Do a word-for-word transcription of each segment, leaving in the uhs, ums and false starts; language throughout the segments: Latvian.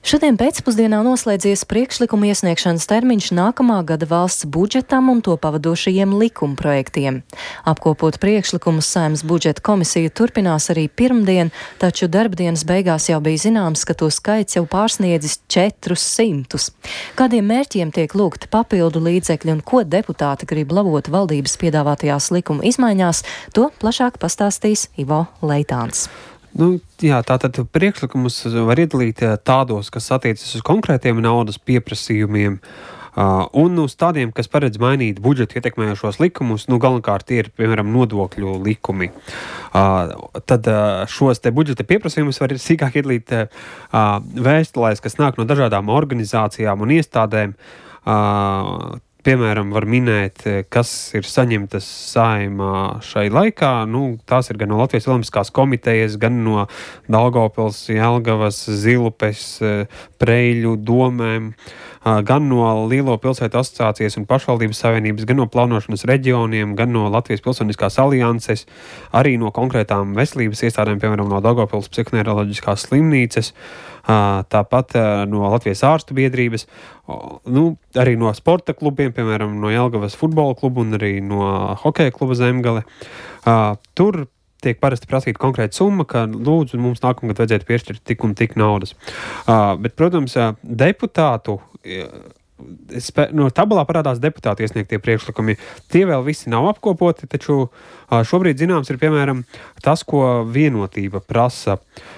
Šodien pēcpusdienā noslēdzies priekšlikuma iesniegšanas termiņš nākamā gada valsts budžetam un to pavadošajiem likumprojektiem. Apkopot priekšlikumus Saeimas budžeta komisija turpinās arī pirmdien, taču darbdienas beigās jau bija zināms, ka to skaits jau pārsniedzis četrus simtus. Kādiem mērķiem tiek lūgti papildu līdzekļi un ko deputāti grib labot valdības piedāvātajās likuma izmaiņās, to plašāk pastāstīs Ivo Leitāns. Nu, jā, tātad priekšlikumus var iedalīt tādos, kas attiecas uz konkrētiem naudas pieprasījumiem, uh, un uz tādiem, kas paredz mainīt budžetu ietekmējošos likumus, nu, galvenokārt tie ir, piemēram, nodokļu likumi. Uh, tad uh, šos te budžeta pieprasījumus var sīkāk iedalīt uh, vēstulēs, kas nāk no dažādām organizācijām un iestādēm. Uh, Piemēram, var minēt, kas ir saņemtas Saeimā šai laikā. Nu, tās ir gan no Latvijas Olimpiskās komitejas, gan no Daugavpils, Jelgavas, Zilupes, Preļu domēm, gan no Lielo pilsētu asociācijas un pašvaldības savienības, gan no plānošanas reģioniem, gan no Latvijas Pilsoniskās alianses, arī no konkrētām veselības iestādēm, piemēram, no Daugavpils psihoneiroloģiskās slimnīcas, tāpat no Latvijas ārstu biedrības, nu, arī no sporta klubiem, piemēram, no Jelgavas futbola klubu un arī no hokeja kluba Zemgale. Tur tiek parasti prasīta konkrēta summa, ka lūdzu mums nākamgad vajadzētu piešķirt tik un tik naudas. Bet, protams, deputātu no tabulā parādās deputāti iesniegtie priekšlikumi. Tie vēl visi nav apkopoti, taču šobrīd zināms ir, piemēram, tas, ko Vienotība prasa.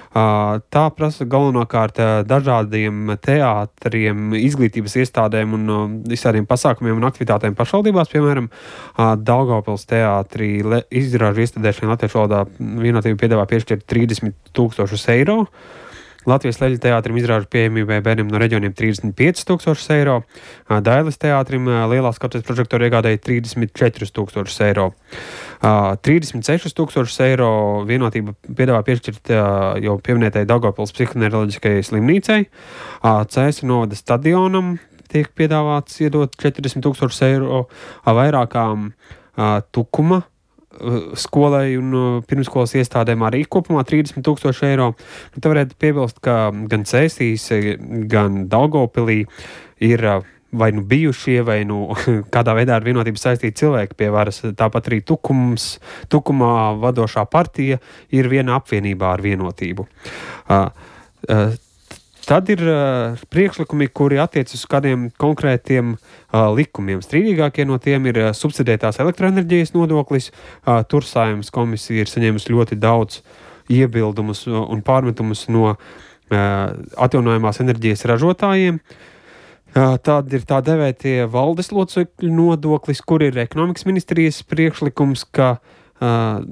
Tā prasa galvenokārt dažādiem teātriem, izglītības iestādēm un visādiem pasākumiem un aktivitātēm pašvaldībās, piemēram, Daugavpils teātrī izrāžu iestādēšanai latviešu valodā Vienotība piedāvā piešķirt trīsdesmit tūkstošus eiro. Latvijas Leļu teātrim izrāžu pieejamībai bērniem no reģioniem trīsdesmit pieci tūkstošus eiro, Dailes teātrim lielās skatuves prožektoru iegādēja trīsdesmit četrus tūkstošus eiro. trīsdesmit sešus tūkstošus eiro Vienotība piedāvā piešķirt jau pieminētai Daugavpils psihoneiroloģiskajai slimnīcai, Cēsu novada stadionam tiek piedāvāts iedot četrdesmit tūkstošus eiro, vairākām Tukuma skolai un pirmskolas iestādēm arī kopumā trīsdesmit tūkstoši eiro. Nu, te varētu piebilst, ka gan Cēsīs, gan Daugavpilī ir vai nu bijušie, vai nu kādā veidā ar Vienotību saistīti cilvēki pie varas. Tāpat arī Tukums, Tukumā vadošā partija ir viena apvienībā ar Vienotību. Uh, uh, Tad ir uh, priekšlikumi, kuri attiecas uz kādiem konkrētiem uh, likumiem. Strīdīgākie no tiem ir uh, subsidētās elektroenerģijas nodoklis. Uh, tur Saeimas komisija ir saņēmusi ļoti daudz iebildumus un pārmetumus no uh, atjaunojamās enerģijas ražotājiem. Uh, tad ir tā devētie valdes locekļu nodoklis, kur ir ekonomikas ministrijas priekšlikums, ka uh,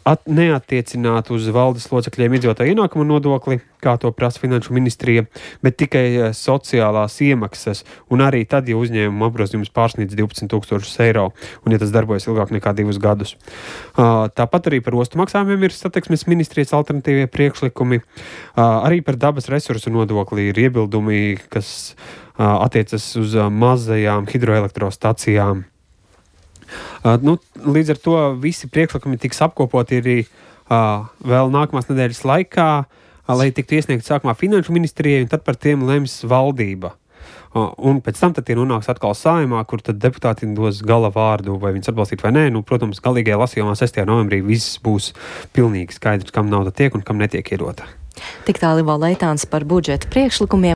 at, neattiecināt uz valdes locekļiem iedzīvotāju ienākumu nodokli, kā to prasa Finanšu ministrija, bet tikai sociālās iemaksas, un arī tad, ja uzņēmuma apgrozījums pārsniedz divpadsmit tūkstošus eiro, un ja tas darbojas ilgāk nekā divus gadus. Uh, tāpat arī par ostu maksājumiem ir Satiksmes ministrijas alternatīvie priekšlikumi. Uh, arī par dabas resursu nodokli ir iebildumi, kas uh, attiecas uz uh, mazajām hidroelektrostacijām. Uh, nu, līdz ar to visi priekšlikumi tiks apkopoti arī uh, vēl nākamās nedēļas laikā, uh, lai tiktu iesniegti sākumā Finanšu ministrijai, un tad par tiem lems valdība. Uh, un pēc tam tad tie nonāks atkal Saeimā, kur tad deputāti dos gala vārdu, vai viņus atbalstīt vai nē. Nu, protams, galīgajā lasījumā sestajā novembrī viss būs pilnīgi skaidrs, kam nauda tiek un kam netiek iedota. Tik tālu Ivo Leitāns par budžeta priekšlikumiem.